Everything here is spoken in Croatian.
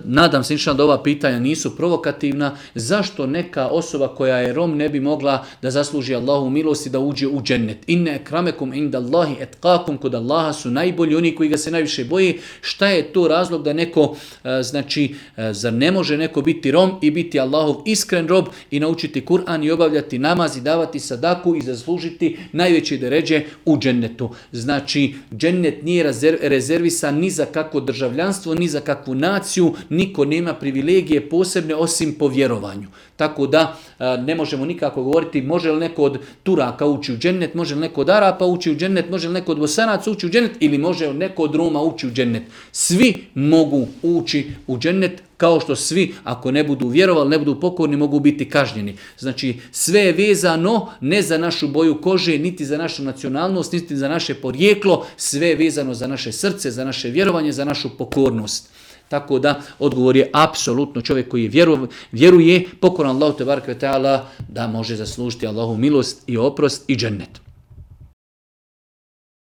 nadam se inšallah da ova pitanja nisu provokativna, zašto neka osoba koja je Rom ne bi mogla da zasluži Allahu milost i da uđe u džennet. Inne ekramekum inda Allahi etqakum, kod Allaha su najbolji oni koji ga se najviše boji. Šta je to razlog da neko, zar ne može neko biti Rom i biti Allahov iskren rob i naučiti Kur'an i obavljati namaz i davati sadaku i zaslužiti najveće deređe u džennetu. Znači, džennet nije rezervisan ni za kakvo državljanstvo, ni za kakvu naciju, niko nema privilegije posebne osim po vjerovanju. Tako da ne možemo nikako govoriti može li neko od Turaka ući u džennet, može li neko od Arapa ući u džennet, može li neko od Bosanaca ući u džennet ili može li neko od Roma ući u džennet. Svi mogu ući u džennet, kao što svi, ako ne budu vjerovali, ne budu pokorni, mogu biti kažnjeni. Znači, sve je vezano ne za našu boju kože, niti za našu nacionalnost, niti za naše porijeklo, sve je vezano za naše srce, za naše vjerovanje, za našu pokornost. Tako da, odgovor je apsolutno čovjek koji vjeruje, pokoran Allahu tebareke ve taala, da može zaslužiti Allahu milost i oprost i džennet.